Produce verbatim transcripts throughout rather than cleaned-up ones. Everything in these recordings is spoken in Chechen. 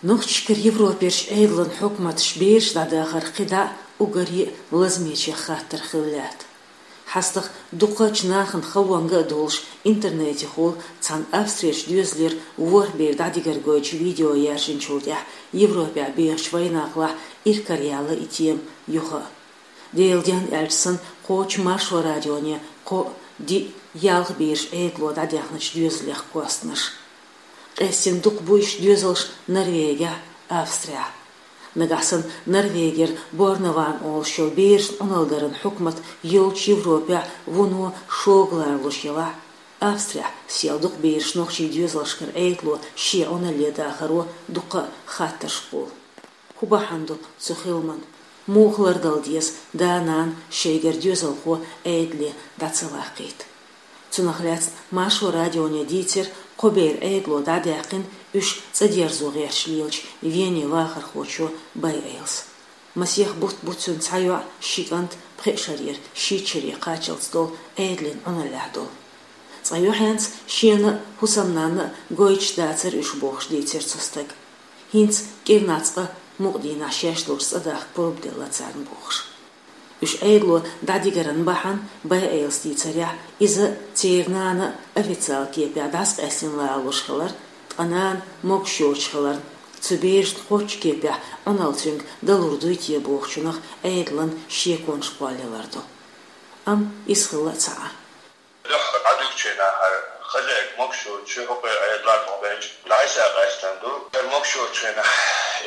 Нохчашкара Европерчу Ӏедалан хьукматаш бераш дӀадахар кхидӀа а уггаре а лазамечех хаттар хилла лаьтта. ХьастагӀа дукхачу нахана халонга а долуш, интернетехула цхьана Австрерчу доьзалера ворхӀ бер дӀадигар гойтучу видео яьржинчул тӀаьхьа Европехь бехачу вайнахалахь иракараяьлла и тема юха а. Делан денна аьлча санна, кхочу Маршо радионе кхоъ, диъ, ялх бераш Ӏедало дӀадаьхначу доьзалех кхоьссинарш. Къаьстина дукха бу уьш доьзалш Норвегехь а, Австрехь а. Нагахь санна Норвегера Борнован олуш йолу берашна Ӏуналла даран хьукмат йолчу Европехь вуно шога ларалуш елахь а, Австрехь сел дукха бераш нохчийн доьзалшкара Ӏедало шен Ӏуналле дахаро дуккха а хаттарш кхуллу. ХӀун бахьана ду цу хиламан? Муха лардала деза да-нана шайгара доьзалхо Ӏедале дӀа ца ваккхийта? Цунах лаьцна Маршо радионе дийцира кхо бер Ӏедало дӀадаьккхина уьш цӀа дерзо гӀерташ лелачу Вене вахархочо Байайлас. Масех бутт бу цуьнан цхьа йоӀ, ши кӀант, пхеа шарера шийтта шаре кхаччалц долу, Ӏедалан Ӏуналлехь долу. Цкъа юьхьенца шена а, хӀусамнанна а гойтуш дацара уьш бохуш дийцира цу стага. ХӀинца кӀирнах цкъа мукъа дийнахь шаьш долчу цӀа дахка пурба делла царна бохуш. Уьш Ӏедало дӀадигаран бахьана Байайлас дийцарехь, иза церан нана официал кепехь дӀасакъаьстина лалуш хилар, ткъа нана могуш йоцуш хиларна, цу берашна кхоччу кепехь Ӏуналла цуьнга далур дуй те бохучунах Ӏедалан шеконаш кхоллаялар ду. Амма иза хилла а ца Ӏа. Дуьххьара дӀадуьгучу хенахь хӀара хозяйка могуш йоцуш, хӀокхуьнан Ӏедалан тӀе бен дӀасакъаьстина ду. ХӀара могуш йоцучу хенахь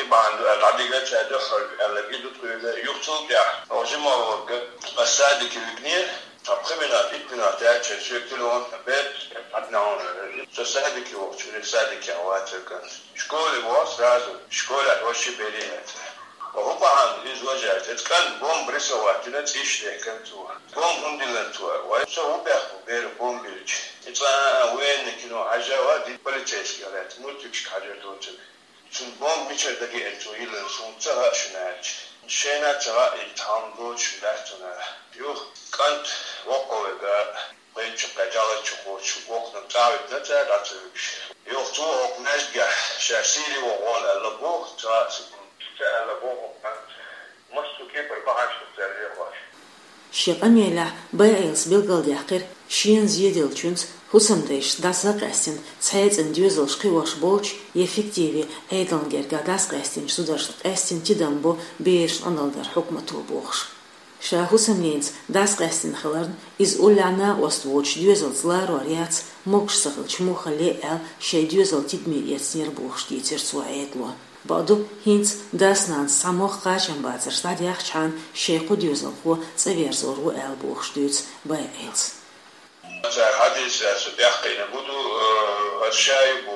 и бахьана ду аьлла дӀадигира цара дуьххьара аьлларг и ду тхуьга. Юха цул тӀаьхьа оха жимма вахарга ас садике вигнера, цхьа пхи минот, итт минот яьлча соьга телефон бен, хьан дӀа хьуна. Со садике вахча, садикехь вацара кӀант. Школе вахча сразу, школехь ваьш бере яц. ХӀун бахьана иза важа аьлча, оцу кӀанта бомба рисовать дина, цӀийш дехкина цо. Бомба хӀунда диллина цо? Вай, со хӀун бехк бу беран бомба биллича? И цкъа а военный кино хьажжа а ди полицейский лаьцна, мультикашка хьажар доцург. Цунна бомба мичара дагеана цо йиллина, суна ца хаьа шуна аьлча. Шайна а ца хаьа, и цхьа хӀума доцуш дац цунна. Юха кӀант воккхаве га. Вайн чу кхаьчча, чу кхочу воккханиг цӀа а витина цара дӀа ца вуьгуш. Юха цо хӀокху маьждигехь ша Сири вогӀу аьлла боху, ца а ца аьлла боху, массо кепара бахьанаш ду цара лехош. Шен къамелехь Байайлас билгалдаьккхира, шена зеделлачуьнца хӀусамдайшца дӀасакъаьстина цхьаьна цӀена доьзалш кхиош болчу я фиктиве Ӏедална гергахь дӀасакъаьстинчу зударшна къаьстина тидам бо берашна Ӏуналла дар хьукмато бохуш. Ша хӀусамненца дӀасакъаьстина хиларна, иза уллехь накъост воцуш доьзалца ларор яц, могуш ца хилча муха ле аьлла, шайн доьзал тидаме эцнера бохуш дийцира цо Ӏедало. Бакъду, хӀинца дас-нанас цхьа мох кхачам бацарш дӀадаьхчхьана, шайн кху доьзалхо цӀа верзор ву аьлла бохуш дуьйцу Байайлас. Цара хьадийсар со тӀаьхкхийна бу ду, э, аса шаьш бу,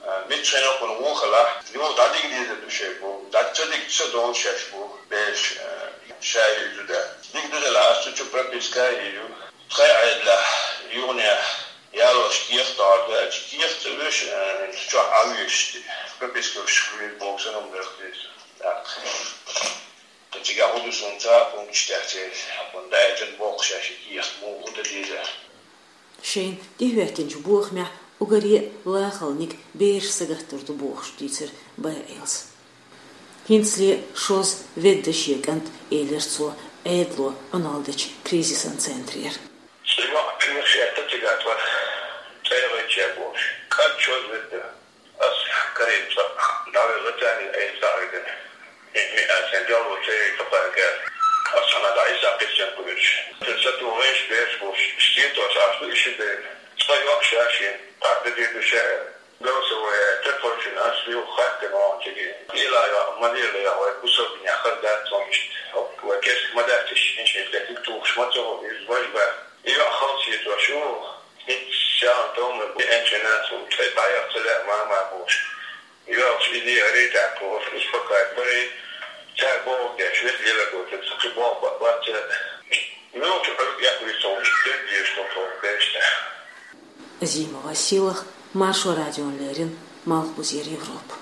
э, мичча хенахь кхуьнан вон хилахь, юха дӀадига дезар ду шайн бу, дӀа ца дигча ца довла шаьш бу, бераш, э, шаьш ю да. Дика ду делахь, аса цу чу прописка а йийр ю. Тхайн Ӏедалехь, юханехь, ялош кехат догӀур ду аьлча, кехат ца веш, э, цу чохь Ӏан везаш, прописка веш хилийта боху санна хӀума дара хеза. ТӀаккха. Ткъа цигахь хӀун ду суна ца а, пункташ тӀехь церан хьакъан даьтан боккхуш шаьш кехат муха дан деза? Шайна тӀехӀоьттинчу бохамехь уггаре а лахалниг бераш сагаттар ду бохуш дийцира Байайлас. ХӀинцале шозза ведда шен кӀант, элира цо Ӏедало Ӏуналла дечу кризисан центрера. Цу йоӀ кхераш этта цигахь тхо цӀа яхийтича бохуш. КӀант шозза ведда. Ас Карим цӀа дӀавелла царна, айса дӀа а вигина. Ме-, ме-, ас хӀинца деллачу ца яйта кхаьрга. Ас хьанна дӀа Ӏийса кхиссина кхуьуьрча. Сан сатугӀеш бераш бохуш, стен тоьшаш ду и ши бер. Цкъа йоӀ ша шен, тӀаккха де ду ша. Голосовой, телефон шина, ас юха хаттина вахана цига. Ила йоӀ, ма лела йоӀ, вай бусалба динехь хаза дац цунна иштта. Вай кеста ма дац иштта, иншин тӀе дика тухуш ма ца хуьлу, иза важа бац. И йоӀ халча хетош ю. ХӀинца ша томра бу, энчина цунна тӀе дӀаяхьа ца лаьа мама бохуш. Йоьлхуш и ле гӀаре тӀаккха, успокаивать барий, цара бохург деш, веза лелар гойтура, сан кхин болх бац, бац цара. Муьлхачу Ӏуьрг эккхавийр цунна, иштта дерг дезаш ду тхо берашна. Азимова Сийлаха, Маршо радиона леррина, Малхбузера Европа.